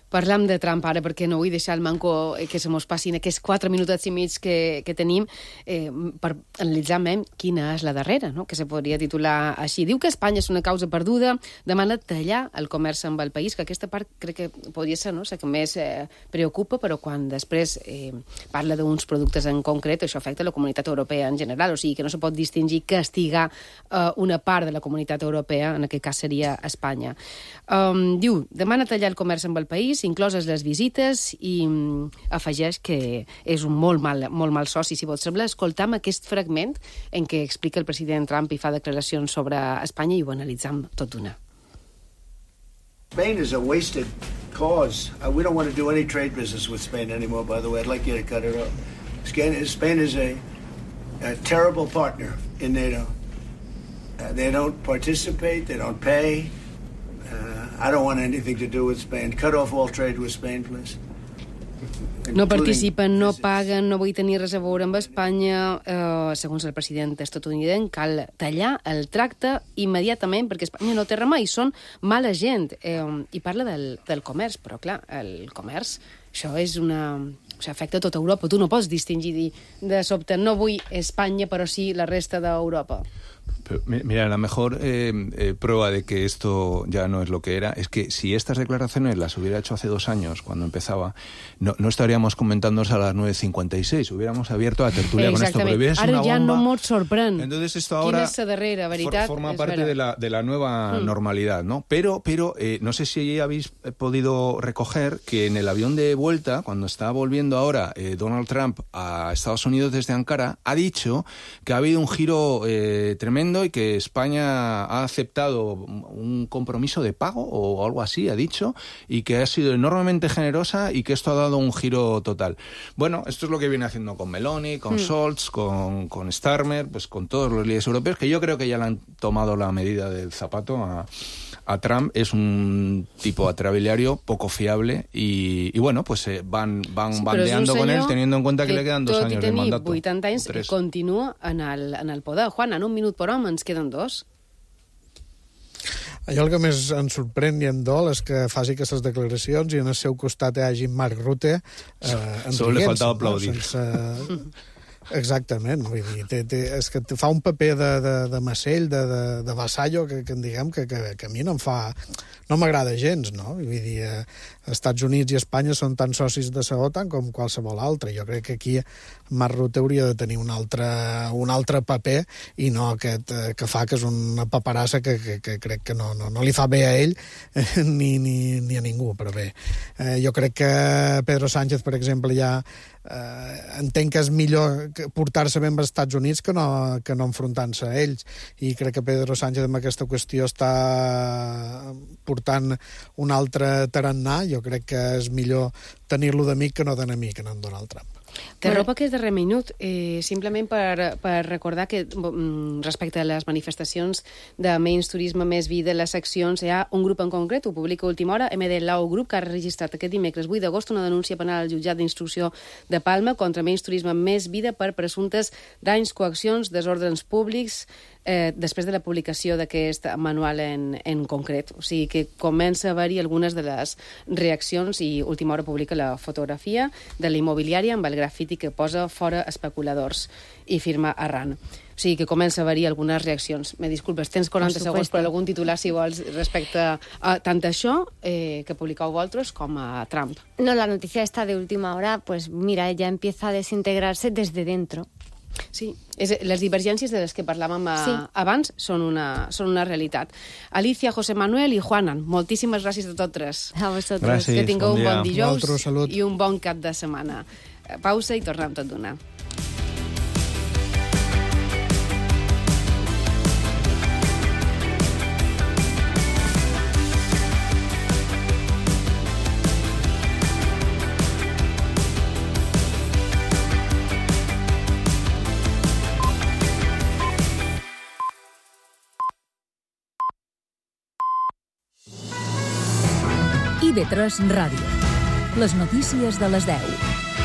Parlam de Trump ara, perquè no vull deixar el manco que se mos passin aquests 4 minutets i mig que tenim per analitzar quina és la darrera, no? Que se podria titular així. Diu que Espanya és una causa perduda, demana tallar el comerç amb el país, que aquesta part crec que podria ser, no?, la que més preocupa, però quan després parla d'uns productes en concret, això afecta la comunitat europea en general, o sigui que no se pot distingir castigar una part de la comunitat europea, en aquest cas seria Espanya. Diu, demana tallar el comerç amb el país, incloses les visites, i afegeix que és un molt mal soci. Si vols sembla, escoltam aquest fragment en què explica el president Trump i fa declaracions sobre Espanya, i ho analitzam tot d'una. Spain is a wasted cause. We don't want to do any trade business with Spain anymore, by the way. I'd like you to cut it off. Spain is a terrible partner in NATO. They don't participate, they don't pay. I don't want anything to do with Spain. Cut off all trade with Spain, please. No participen, no paguen, no vull tenir res a veure amb Espanya. Segons el president estatunidenc, cal tallar el tracte immediatament, perquè Espanya no té remei, són mala gent. I parla del comerç, però clar, el comerç, això és això afecta tota Europa. Tu no pots distingir de sobte, no vull Espanya, però sí la resta d'Europa. Pero, mira, la mejor prueba de que esto ya no es lo que era es que si estas declaraciones las hubiera hecho hace 2 años, cuando empezaba, no estaríamos comentándonos a las 9:56. Hubiéramos abierto la tertulia con esto. Pero es ara una ja bomba. No mos sorprèn. Entonces esto ahora forma parte de la nueva normalidad, ¿no? Pero no sé si habéis podido recoger que en el avión de vuelta, cuando está volviendo ahora Donald Trump a Estados Unidos desde Ankara, ha dicho que ha habido un giro tremendo y que España ha aceptado un compromiso de pago o algo así, ha dicho, y que ha sido enormemente generosa y que esto ha dado un giro total. Bueno, esto es lo que viene haciendo con Meloni, con Scholz, con Starmer, pues con todos los líderes europeos, que yo creo que ya le han tomado la medida del zapato a Trump. Es un tipo atrabiliario poco fiable y bueno, pues van bandeando con él, teniendo en cuenta que le quedan 2 años de mandato. Tot i tenir 80 anys, continua en el poder. Juan, en un minut per home ens queden 2. Allò el que més ens sorprèn i em dol és que faci aquestes declaracions i en el seu costat hi hagi Mark Rutte Solo le faltava aplaudir. Exactament, vull dir, és que fa un paper de macell, de vassallo, que en diguem que a mi no m'agrada gens, no? Vull dir, Estats Units i Espanya són tan socis de la OTAN com qualsevol altre. Jo crec que aquí Mark Rutte hauria de tenir un altre paper i no aquest que fa, que és una paperassa que crec que no li fa bé a ell ni a ningú, però bé. Jo crec que Pedro Sánchez, per exemple, ja entenc que és millor portar-se bé amb els Estats Units que no enfrontant-se a ells. I crec que Pedro Sánchez amb aquesta qüestió està portant un altre tarannà. Jo crec que és millor tenir-lo d'amic que no d'enemic en Donald Trump. T'arropa aquest darrer minut, simplement per recordar que respecte a les manifestacions de Menys Turisme, Més Vida, les seccions, hi ha un grup en concret, ho publica a última hora, MD Lau Group, que ha registrat aquest dimecres 8 d'agost una denúncia penal al jutjat d'instrucció de Palma contra Menys Turisme, Més Vida per presumptes danys, coaccions, desordres públics, després de la publicació d'aquest manual en concret. O sigui que comença a haver-hi algunes de les reaccions i última hora publica la fotografia de la immobiliària amb el grafiti que posa fora especuladors i firma Arran. O sigui que comença a haver-hi algunes reaccions. Me disculpes, tens 40 segons per algun titular, si vols, respecte a tant això que publicau vosaltres com a Trump. No, la noticia esta de última hora, pues mira, ya empieza a desintegrarse desde dentro. Sí, les divergències de les que parlàvem abans són una realitat. Alicia, José Manuel i Juanan, moltíssimes gràcies a tots tres. A vosaltres. Gràcies, que tingueu un bon dijous salut. I un bon cap de setmana. Pausa i tornem tot d'una. IB3 Ràdio. Les notícies de les 10.